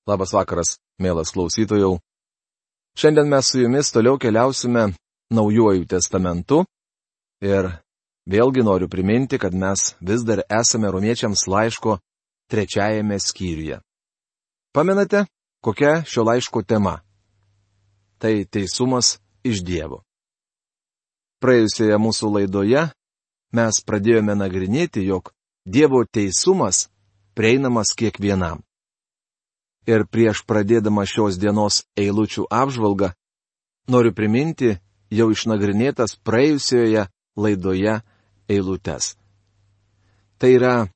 Labas vakaras, mielas klausytojau. Šiandien mes su jumis toliau keliausime Naujuoju testamentu ir vėlgi noriu priminti, kad mes vis dar esame Romiečiams laiško 3 skyriuje. Pamenate, kokia šio laiško tema? Tai teisumas iš Dievo. Praėjusioje mūsų laidoje mes pradėjome nagrinėti, jog Dievo teisumas prieinamas kiekvienam. Ir prieš pradėdama šios dienos eilučių apžvalgą, noriu priminti jau išnagrinėtas praėjusioje laidoje eilutes. Tai yra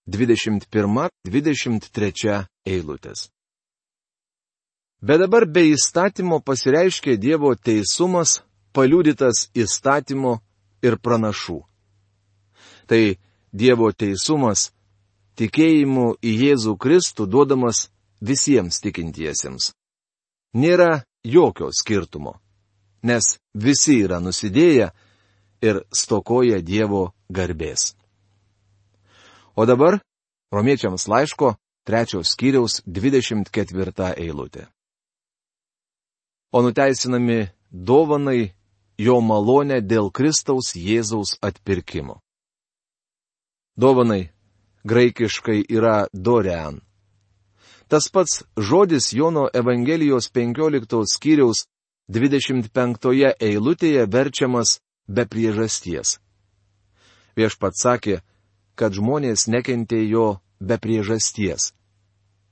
21-23 eilutės. Bet dabar be įstatymo pasireiškė Dievo teisumas, paliudytas įstatymo ir pranašų. Tai Dievo teisumas, tikėjimu į Jėzų Kristų duodamas visiems tikintiesiems. Nėra jokio skirtumo, nes visi yra nusidėję ir stokoja Dievo garbės. O dabar Romiečiams laiško 3 skyriaus 24 eilutė. O nuteisinami dovanai jo malonę dėl Kristaus Jėzaus atpirkimo. Dovanai graikiškai yra dorean. Tas pats žodis Jono Evangelijos 15 skyriaus 25 eilutėje verčiamas be priežasties. Viešpats sakė, kad žmonės nekentė jo be priežasties.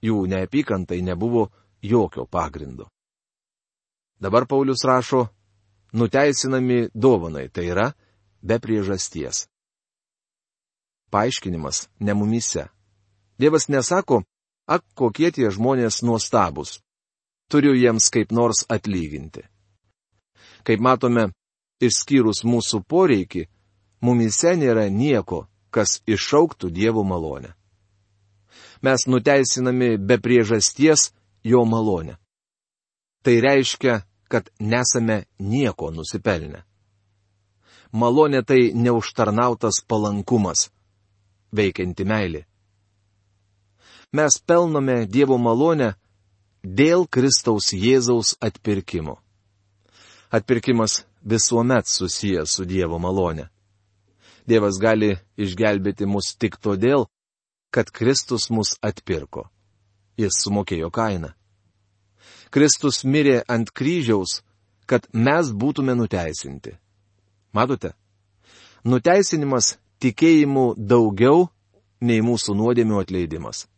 Jų neapykantai nebuvo jokio pagrindo. Dabar Paulius rašo, nuteisinami dovanai, tai yra be priežasties. Paaiškinimas ne mumyse. Dievas nesako, ak, kokie tie žmonės nuostabūs. Turiu jiems kaip nors atlyginti. Kaip matome, išskyrus mūsų poreikį, mumyse nėra nieko, kas iššauktų Dievo malonę. Mes nuteisinami be priežasties jo malonę. Tai reiškia, kad nesame nieko nusipelnę. Malonė tai neužtarnautas palankumas, veikianti meilė. Mes pelnome Dievo malonę dėl Kristaus Jėzaus atpirkimo. Atpirkimas visuomet susijęs su Dievo malonė. Dievas gali išgelbėti mus tik todėl, kad Kristus mus atpirko. Jis sumokėjo kainą. Kristus mirė ant kryžiaus, kad mes būtume nuteisinti. Matote? Nuteisinimas tikėjimu daugiau nei mūsų nuodėmių atleidimas.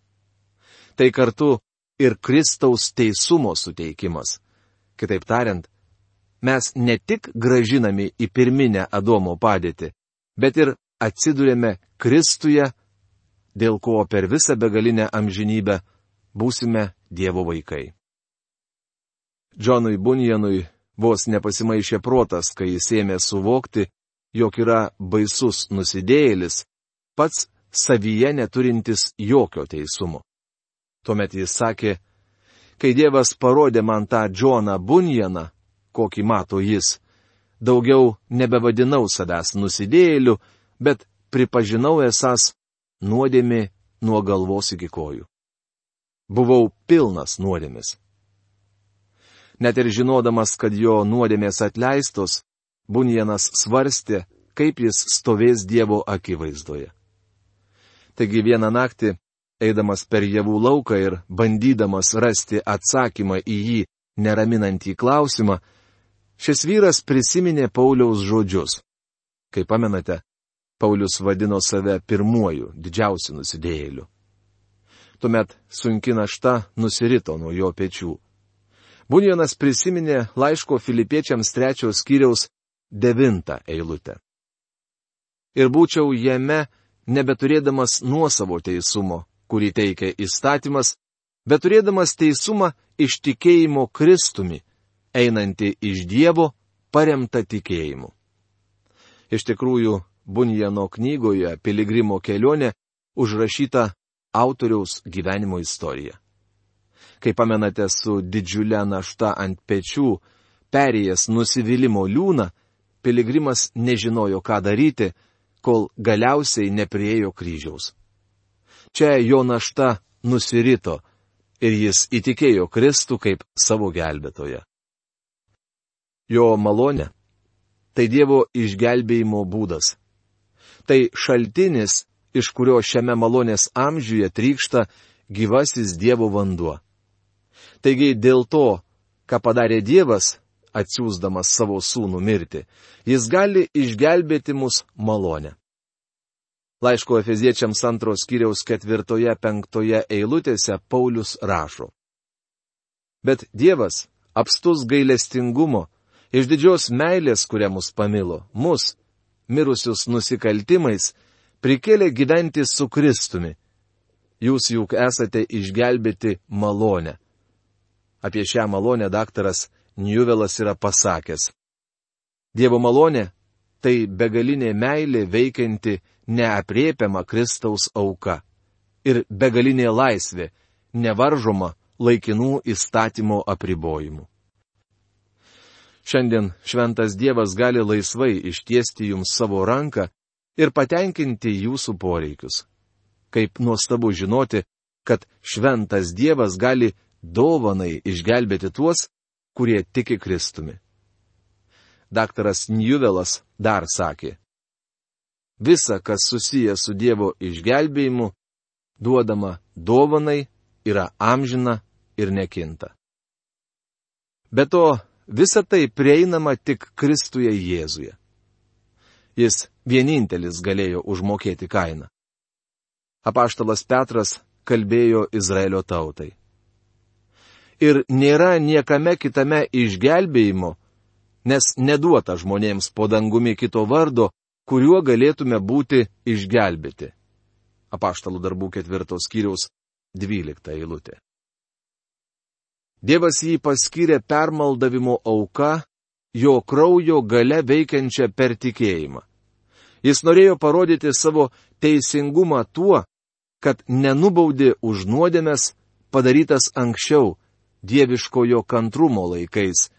Tai kartu ir Kristaus teisumo suteikimas. Kitaip tariant, mes ne tik gražinami į pirminę Adomo padėtį, bet ir atsiduriame Kristuje, dėl ko per visą begalinę amžinybę būsime Dievo vaikai. Džonui Bunjanui vos nepasimaišė protas, kai jis ėmė suvokti, jog yra baisus nusidėjėlis, pats savyje neturintis jokio teisumo. Tuomet jis sakė, kai Dievas parodė man tą Džoną Bunjaną, kokį mato jis, daugiau nebevadinau savęs nusidėjėliu, bet pripažinau esąs nuodėmė nuo galvos iki kojų. Buvau pilnas nuodėmės. Net ir žinodamas, kad jo nuodėmės atleistos, Bunjanas svarstė, kaip jis stovės Dievo akivaizdoje. Taigi vieną naktį, eidamas per javų lauką ir bandydamas rasti atsakymą į jį neraminantį klausimą, šis vyras prisiminė Pauliaus žodžius. Kaip pamenate, Paulius vadino save pirmuoju, didžiausiu nusidėjėliu. Tuomet sunki našta nusirito nuo jo pečių. Bunjanas prisiminė laiško Filipiečiams 3 skyriaus 9 eilutę. Ir būčiau jame nebeturėdamas nuosavo teisumo, kurį teikia įstatymas, bet turėdamas teisumą iš tikėjimo Kristumi, einantį iš Dievo, paremtą tikėjimu. Iš tikrųjų, Bunjano knygoje Piligrimo kelionė užrašyta autoriaus gyvenimo istorija. Kai pamenate, su didžiulė našta ant pečių, perėjęs nusivylimo liūną, Piligrimas nežinojo, ką daryti, kol galiausiai nepriėjo kryžiaus. Čia jo našta nusirito, ir jis įtikėjo Kristų kaip savo gelbėtoją. Jo malonė – tai Dievo išgelbėjimo būdas. Tai šaltinis, iš kurio šiame malonės amžiuje trykšta gyvasis Dievo vanduo. Taigi dėl to, ką padarė Dievas, atsiųsdamas savo sūnų mirti, jis gali išgelbėti mus malonę. Laiško Efeziečiams 2 skyriaus 4-5 eilutėse Paulius rašo. Bet Dievas, apstus gailestingumo, iš didžios meilės, kuria mus pamilo, mus, mirusius nusikaltimais, prikėlė gyventi su Kristumi. Jūs juk esate išgelbėti malonę. Apie šią malonę daktaras Njuvelas yra pasakęs. Dievo malonė – tai begalinė meilė veikianti neaprėpiama Kristaus auka ir begalinė laisvė, nevaržoma laikinų įstatymo apribojimų. Šiandien šventas Dievas gali laisvai ištiesti jums savo ranką ir patenkinti jūsų poreikius. Kaip nuostabu žinoti, kad šventas Dievas gali dovanai išgelbėti tuos, kurie tiki Kristumi. Daktaras Njuvelas dar sakė. Visa, kas susiję su Dievo išgelbėjimu, duodama dovanai, yra amžina ir nekinta. Be to, visa tai prieinama tik Kristuje Jėzuje. Jis vienintelis galėjo užmokėti kainą. Apaštalas Petras kalbėjo Izraelio tautai. Ir nėra niekame kitame išgelbėjimo, nes neduota žmonėms po dangumi kito vardo, kuriuo galėtume būti išgelbėti. Apaštalų darbų 4 skyriaus 12 eilutė. Dievas jį paskyrė permaldavimo auka, jo kraujo gale veikiančią per tikėjimą. Jis norėjo parodyti savo teisingumą tuo, kad nenubaudė už nuodėmes padarytas anksčiau, dieviškojo kantrumo laikais,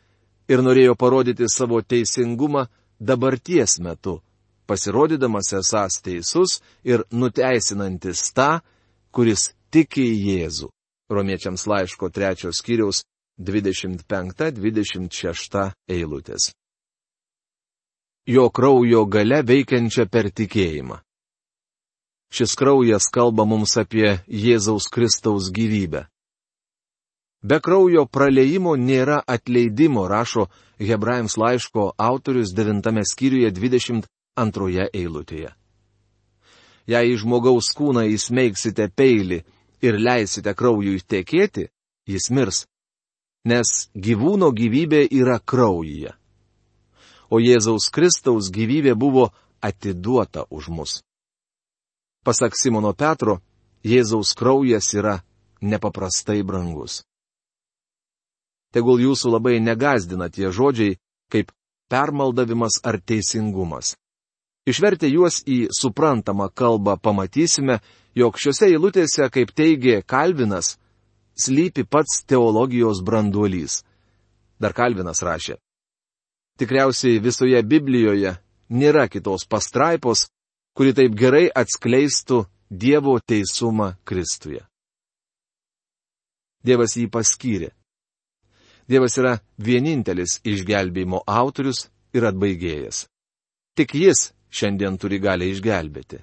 ir norėjo parodyti savo teisingumą dabarties metu, pasirodydamas esąs teisus ir nuteisinantis tą, kuris tiki į Jėzų. Romiečiams laiško 3 skyriaus 25-26 eilutės. Jo kraujo gale veikiančia per tikėjimą. Šis kraujas kalba mums apie Jėzaus Kristaus gyvybę. Be kraujo praliejimo nėra atleidimo, rašo Hebrajams laiško autorius 9 skyriuje 22 eilutėje. Jei į žmogaus kūną įsmeigsite peilį ir leisite kraujui tekėti, jis mirs, nes gyvūno gyvybė yra kraujyje. O Jėzaus Kristaus gyvybė buvo atiduota už mus. Pasak Simono Petro, Jėzaus kraujas yra nepaprastai brangus. Tegul jūsų labai negazdina tie žodžiai, kaip permaldavimas ar teisingumas. Išvertę juos į suprantamą kalbą pamatysime, jog šiuose eilutėse, kaip teigė Kalvinas, slypi pats teologijos branduolys. Dar Kalvinas rašė. Tikriausiai visoje Biblijoje nėra kitos pastraipos, kuri taip gerai atskleistų Dievo teisumą Kristuje. Dievas jį paskyrė. Dievas yra vienintelis išgelbėjimo autorius ir atbaigėjas. Tik jis šiandien turi galią išgelbėti.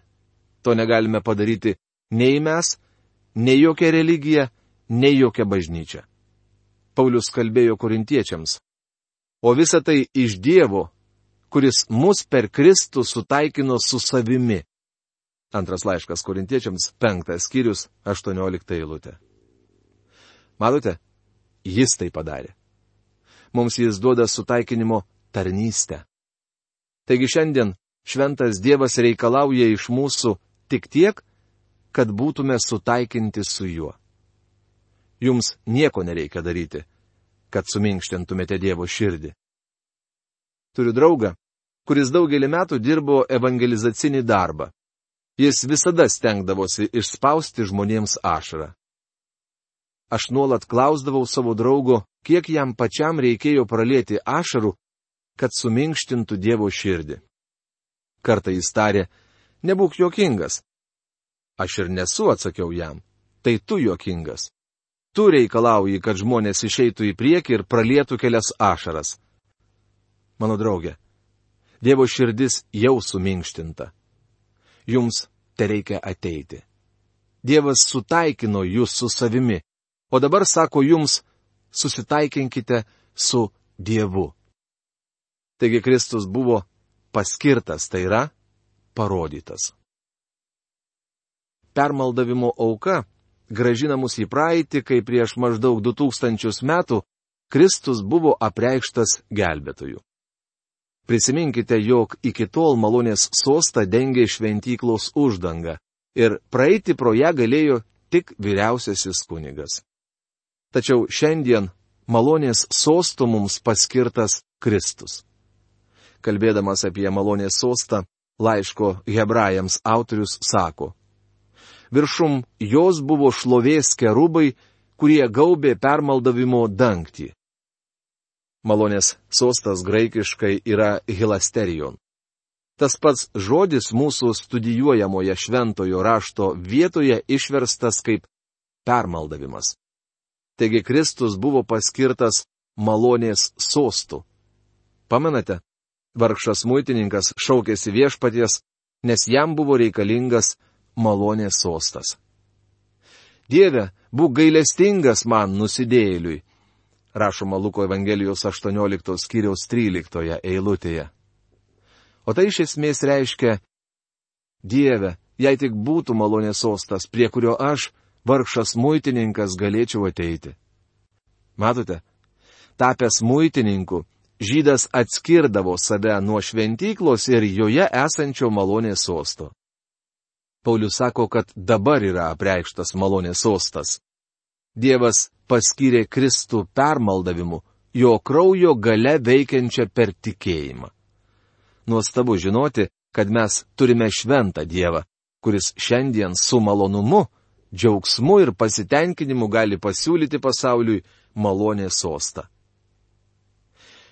To negalime padaryti nei mes, nei jokia religija, nei jokia bažnyčia. Paulius kalbėjo korintiečiams. O visa tai iš Dievo, kuris mus per Kristų sutaikino su savimi. Antras laiškas korintiečiams 5 skyrius 18 eilutė. Matote? Jis tai padarė. Mums jis duoda sutaikinimo tarnystę. Taigi šiandien šventas Dievas reikalauja iš mūsų tik tiek, kad būtume sutaikinti su juo. Jums nieko nereikia daryti, kad suminkštintumėte Dievo širdį. Turiu draugą, kuris daugelį metų dirbo evangelizacinį darbą. Jis visada stengdavosi išspausti žmonėms ašarą. Aš nuolat klausdavau savo draugo, kiek jam pačiam reikėjo pralieti ašarų, kad suminkštintų Dievo širdį. Kartą jis tarė, nebūk juokingas. Aš ir nesu, atsakiau jam, tai tu juokingas. Tu reikalauji, kad žmonės išeitų į priekį ir pralietų kelias ašaras. Mano draugė, Dievo širdis jau suminkštinta. Jums tereikia ateiti. Dievas sutaikino jūs su savimi, o dabar sako jums, susitaikinkite su Dievu. Taigi Kristus buvo paskirtas, tai yra parodytas. Permaldavimo auka grąžina mus į praeitį, kai prieš maždaug 2000 metų Kristus buvo apreikštas gelbėtoju. Prisiminkite, jog iki tol malonės sostą dengė šventyklos uždanga ir praeiti pro ją galėjo tik vyriausiasis kunigas. Tačiau šiandien malonės sosto mums paskirtas Kristus. Kalbėdamas apie malonės sostą, laiško Hebrajams autorius sako: viršum jos buvo šlovės kerubai, kurie gaubė permaldavimo dangtį. Malonės sostas graikiškai yra hilasterion. Tas pats žodis mūsų studijuojamoje šventojo rašto vietoje išverstas kaip permaldavimas. Taigi Kristus buvo paskirtas malonės sostu. Pamenate, vargšas muitininkas šaukėsi viešpaties, nes jam buvo reikalingas malonės sostas. Dieve, būk gailestingas man nusidėjėliui, rašoma Luko Evangelijos 18 skyriaus 13 eilutėje. O tai iš esmės reiškia: Dieve, jei tik būtų malonės sostas, prie kurio aš, vargšas muitininkas, galėčiau ateiti. Matote, tapęs muitininku, žydas atskirdavo save nuo šventyklos ir joje esančio malonės sosto. Paulius sako, kad dabar yra apreikštas malonės sostas. Dievas paskyrė Kristų permaldavimu, jo kraujo gale veikiančią per tikėjimą. Nuostabu žinoti, kad mes turime šventą Dievą, kuris šiandien su malonumu, džiaugsmu ir pasitenkinimu gali pasiūlyti pasauliui malonės sostą.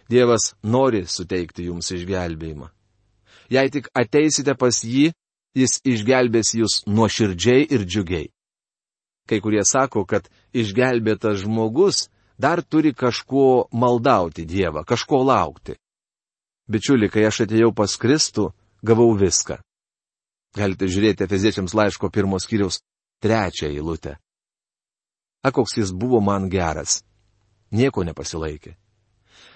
Dievas nori suteikti jums išgelbėjimą. Jei tik ateisite pas jį, jis išgelbės jūs nuoširdžiai ir džiugiai. Kai kurie sako, kad išgelbėtas žmogus dar turi kažko maldauti Dievą, kažko laukti. Bičiuli, kai aš atėjau pas Kristų, gavau viską. Galite žiūrėti Efeziečiams laiško 1 skyriaus 3 eilutę. Koks jis buvo man geras. Nieko nepasilaikė.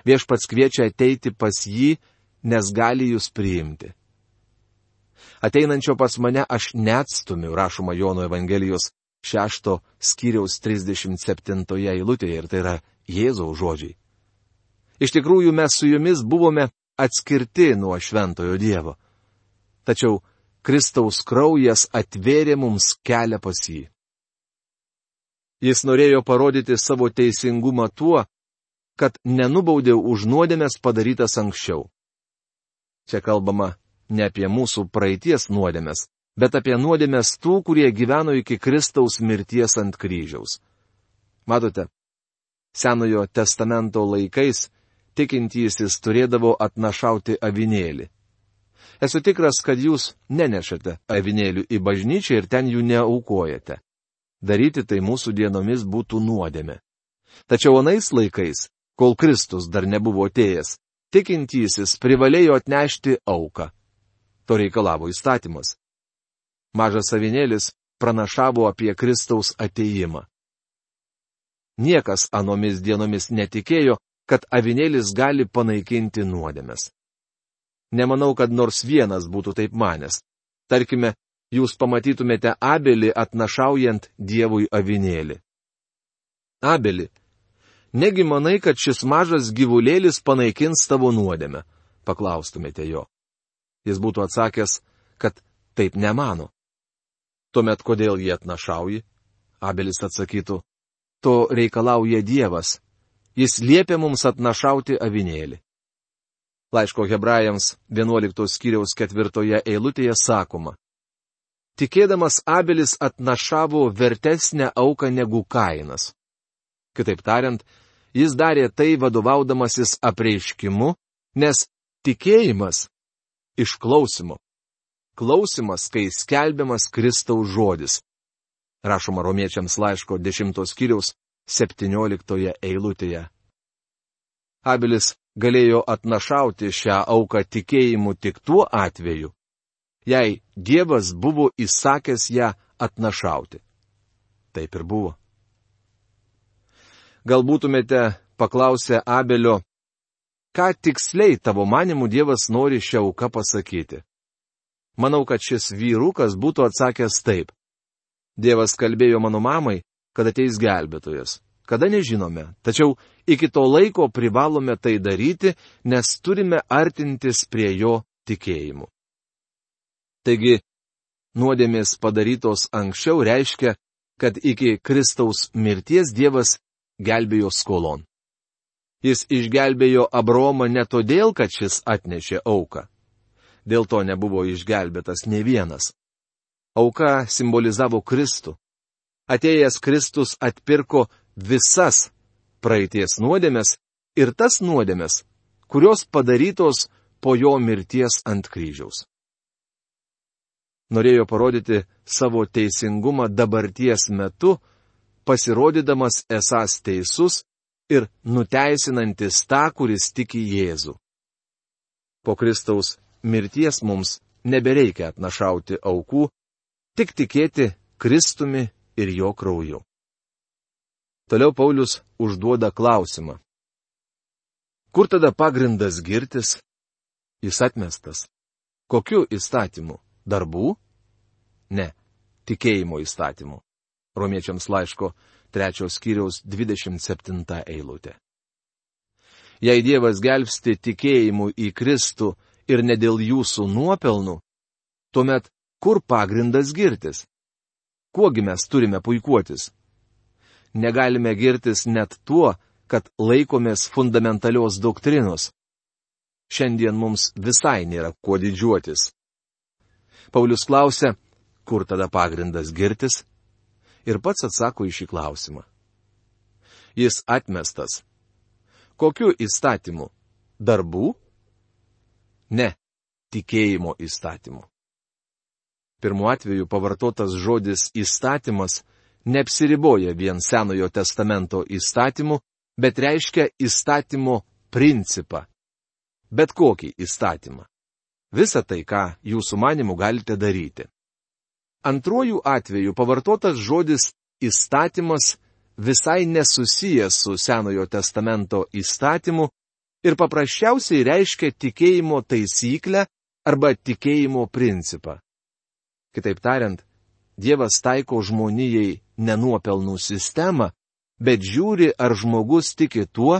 Viešpats kviečia ateiti pas jį, nes gali jūs priimti. Ateinančio pas mane aš neatstumiu, rašoma Jono Evangelijos 6 skyriaus 37 eilutėje, ir tai yra Jėzaus žodžiai. Iš tikrųjų, mes su jumis buvome atskirti nuo šventojo Dievo. Tačiau Kristaus kraujas atvėrė mums kelią pas jį. Jis norėjo parodyti savo teisingumą tuo, kad nenubaudė už nuodėmes padarytas anksčiau. Čia kalbama ne apie mūsų praeities nuodėmes, bet apie nuodėmes tų, kurie gyveno iki Kristaus mirties ant kryžiaus. Matote, Senojo testamento laikais tikintysis turėdavo atnašauti avinėlį. Esu tikras, kad jūs nenešate avinėlių į bažnyčią ir ten jų neaukojate. Daryti tai mūsų dienomis būtų nuodėmė. Tačiau anais laikais, kol Kristus dar nebuvo atėjęs, tikintysis privalėjo atnešti auką. To reikalavo įstatymas. Mažas avinėlis pranašavo apie Kristaus atėjimą. Niekas anomis dienomis netikėjo, kad avinėlis gali panaikinti nuodėmes. Nemanau, kad nors vienas būtų taip manęs. Tarkime, jūs pamatytumėte Abelį atnašaujant Dievui avinėlį. Abeli, negi manai, kad šis mažas gyvulėlis panaikins tavo nuodėmę? Paklaustumėte jo. Jis būtų atsakęs, kad taip nemano. Tuomet kodėl jį atnašauji? Abelis atsakytų, to reikalauja Dievas. Jis liepia mums atnašauti avinėlį. Laiško Hebrajams 11 skyriaus 4 eilutėje sakoma: tikėdamas Abelis atnašavo vertesnę auką negu Kainas. Kitaip tariant, jis darė tai vadovaudamasis apreiškimu, nes tikėjimas iš klausimo. Klausimas, kai skelbiamas Kristaus žodis. Rašoma Romiečiams laiško 10 skyriaus 17 eilutėje. Abelis galėjo atnašauti šią auką tikėjimu tik tuo atveju, jei Dievas buvo įsakęs ją atnašauti. Taip ir buvo. Gal būtumėte paklausę Abelio, ką tiksliai tavo manimu Dievas nori šią auką pasakyti? Manau, kad šis vyrukas būtų atsakęs taip. Dievas kalbėjo mano mamai, kad ateis gelbėtojas. Kada nežinome, tačiau iki to laiko privalome tai daryti, nes turime artintis prie jo tikėjimu. Taigi, nuodėmės padarytos anksčiau reiškia, kad iki Kristaus mirties Dievas gelbėjo skolon. Jis išgelbėjo Abraomą ne todėl, kad šis atnešė auką. Dėl to nebuvo išgelbėtas ne vienas. Auka simbolizavo Kristų. Atėjęs Kristus atpirko visas praeities nuodėmes ir tas nuodėmes, kurios padarytos po jo mirties ant kryžiaus. Norėjo parodyti savo teisingumą dabarties metu, pasirodydamas esąs teisus ir nuteisinantis tą, kuris tiki Jėzų. Po Kristaus mirties mums nebereikia atnašauti aukų, tik tikėti Kristumi ir jo krauju. Toliau Paulius užduoda klausimą. Kur tada pagrindas girtis? Jis atmestas. Kokiu įstatymu? Darbų? Ne, tikėjimo įstatymu. Romiečiams laiško 3 skyriaus 27 eilutė. Jei Dievas gelbsti tikėjimu į Kristų ir ne dėl jūsų nuopelnų, tuomet kur pagrindas girtis? Kuogi mes turime puikuotis? Negalime girtis net tuo, kad laikomės fundamentalios doktrinos. Šiandien mums visai nėra kuo didžiuotis. Paulius klausia, kur tada pagrindas girtis? Ir pats atsako į šį klausimą. Jis atmestas. Kokiu įstatymu? Darbų? Ne, tikėjimo įstatymu. Pirmu atveju pavartotas žodis įstatymas neapsiriboja vien Senojo testamento įstatymu, bet reiškia įstatymo principą. Bet kokį įstatymą. Visą tai, ką jūsų manimu galite daryti. Antruoju atveju pavartotas žodis įstatymas visai nesusijęs su Senojo testamento įstatymu ir paprasčiausiai reiškia tikėjimo taisyklę arba tikėjimo principą. Kitaip tariant, Dievas taiko žmonijai nenuopelnų sistemą, bet žiūri, ar žmogus tiki tuo,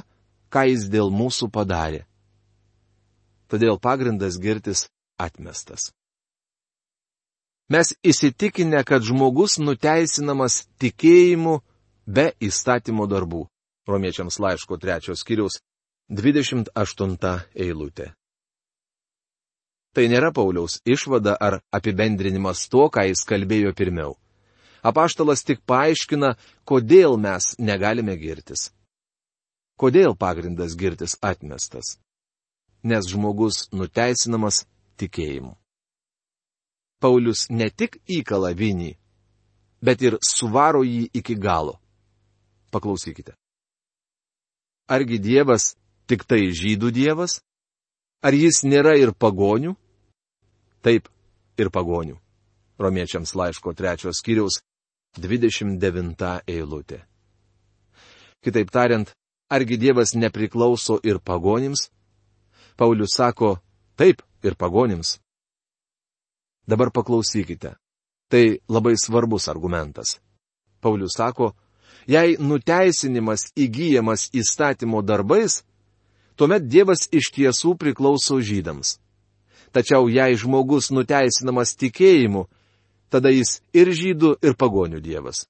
ką jis dėl mūsų padarė. Todėl pagrindas girtis atmestas. Mes įsitikinę, kad žmogus nuteisinamas tikėjimu be įstatymo darbų. Romiečiams laiško 3 skyriaus 28 eilutė. Tai nėra Pauliaus išvada ar apibendrinimas to, ką jis kalbėjo pirmiau. Apaštalas tik paaiškina, kodėl mes negalime girtis. Kodėl pagrindas girtis atmestas? Nes žmogus nuteisinamas tikėjimu. Paulius ne tik įkala vinį, bet ir suvaro jį iki galo. Paklausykite. Argi Dievas tik tai žydų Dievas? Ar jis nėra ir pagonių? Taip, ir pagonių. Romiečiams laiško 3 skyriaus 29 eilutė. Kitaip tariant, argi Dievas nepriklauso ir pagonims? Paulius sako, taip, ir pagonims. Dabar paklausykite. Tai labai svarbus argumentas. Paulius sako, jei nuteisinimas įgyjamas įstatymo darbais, tuomet Dievas iš tiesų priklauso žydams. Tačiau jei žmogus nuteisinamas tikėjimu, tada jis ir žydų, ir pagonių Dievas.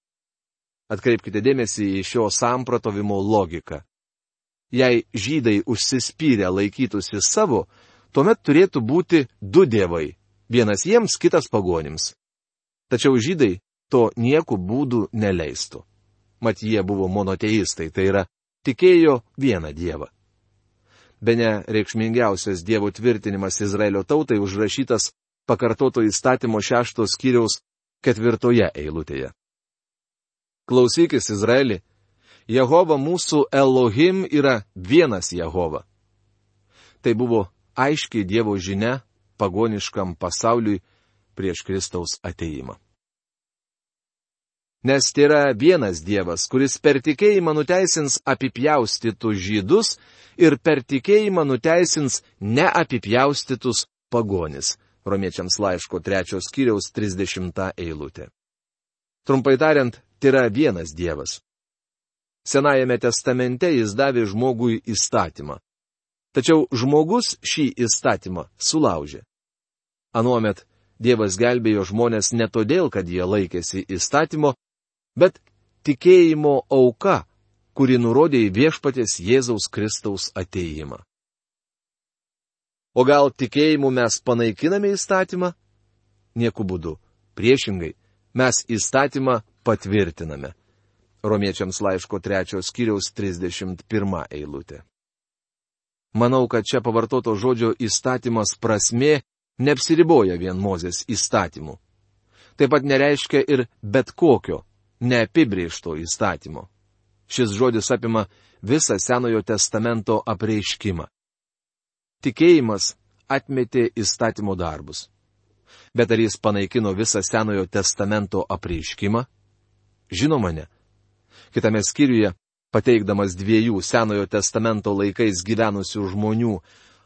Atkreipkite dėmesį į šio sampratovimo logiką. Jei žydai užsispyrę laikytųsi savo, tuomet turėtų būti du dievai, vienas jiems, kitas pagonims. Tačiau žydai to nieku būdu neleistų. Mat jie buvo monoteistai, tai yra tikėjo vieną dievą. Bene reikšmingiausias Dievo tvirtinimas Izraelio tautai užrašytas pakartoto įstatymo 6 skyriaus 4 eilutėje. Klausykis, Izraeli, Jehova mūsų Elohim yra vienas Jehova. Tai buvo aiškiai Dievo žinia pagoniškam pasauliui prieš Kristaus atėjimą. Nes tai yra vienas Dievas, kuris per tikėjimą nuteisins apipjaustytus žydus ir per tikėjimą nuteisins neapipjaustytus pagonis. Romiečiams laiško 3 skyriaus 30 eilutė. Trumpai tariant, tai yra vienas Dievas. Senajame testamente jis davė žmogui įstatymą. Tačiau žmogus šį įstatymą sulaužė. Anuomet Dievas gelbėjo žmonės ne todėl, kad jie laikėsi įstatymo, bet tikėjimo auka, kuri nurodė į viešpaties Jėzaus Kristaus atėjimą. O gal tikėjimu mes panaikiname įstatymą? Nieku būdu. Priešingai, mes įstatymą patvirtiname. Romiečiams laiško 3 skyriaus 31 eilutė. Manau, kad čia pavartoto žodžio įstatymas prasmė neapsiriboja vien Mozės įstatymu. Taip pat nereiškia ir bet kokio, neapibrėžto įstatymo. Šis žodis apima visą Senojo testamento apreiškimą. Tikėjimas atmetė įstatymo darbus. Bet ar jis panaikino visą Senojo testamento apreiškimą? Žinoma ne. Kitame skyriuje, pateikdamas 2 Senojo testamento laikais gyvenusių žmonių,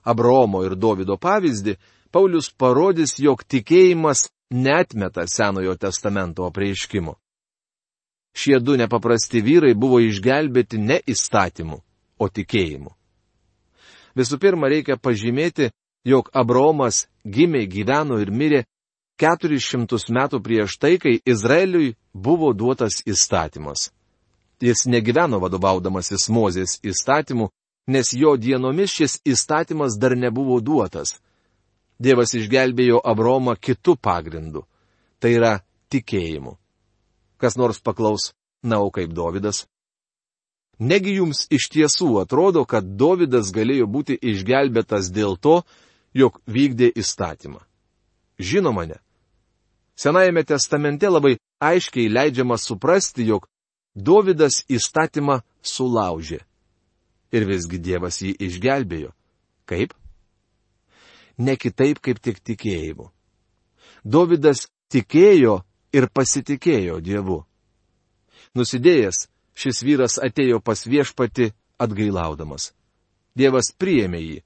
Abraomo ir Dovydo pavyzdį, Paulius parodys, jog tikėjimas neatmeta Senojo testamento apreiškimo. Šie 2 nepaprasti vyrai buvo išgelbėti ne įstatymu, o tikėjimu. Visų pirma, reikia pažymėti, jog Abraomas gimė, gyveno ir mirė 400 metų prieš tai, kai Izraeliui buvo duotas įstatymas. Jis negyveno vadovaudamasis Mozės įstatymu, nes jo dienomis šis įstatymas dar nebuvo duotas. Dievas išgelbėjo Abraomą kitu pagrindu. Tai yra tikėjimu. Kas nors paklaus, na, o kaip Dovydas? Negi jums iš tiesų atrodo, kad Dovydas galėjo būti išgelbėtas dėl to, jog vykdė įstatymą? Žinoma ne. Senajame testamente labai aiškiai leidžiama suprasti, jog Dovydas įstatymą sulaužė. Ir visgi Dievas jį išgelbėjo. Kaip? Ne kitaip kaip tik tikėjimu. Dovydas tikėjo ir pasitikėjo Dievu. Nusidėjęs, šis vyras atėjo pas viešpatį atgailaudamas. Dievas priėmė jį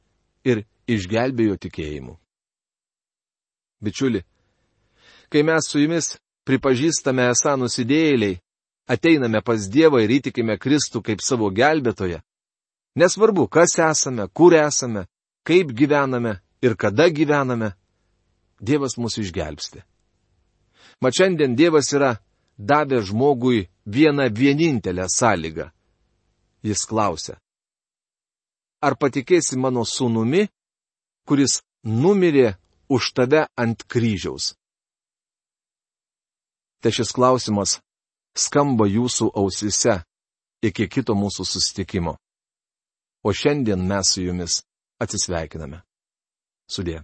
ir išgelbėjo tikėjimu. Bičiuli, kai mes su jumis pripažįstame esą nusidėjėliai, ateiname pas Dievą ir įtikime Kristų kaip savo gelbėtoją, nesvarbu, kas esame, kur esame, kaip gyvename ir kada gyvename, Dievas mus išgelbsti. Mat šiandien Dievas yra davęs žmogui vieną vienintelę sąlygą. Jis klausia: ar patikėsi mano sūnumi, kuris numirė už tave ant kryžiaus? Tai šis klausimas skamba jūsų ausise iki kito mūsų susitikimo. O šiandien mes su jumis atsisveikiname. Sudie.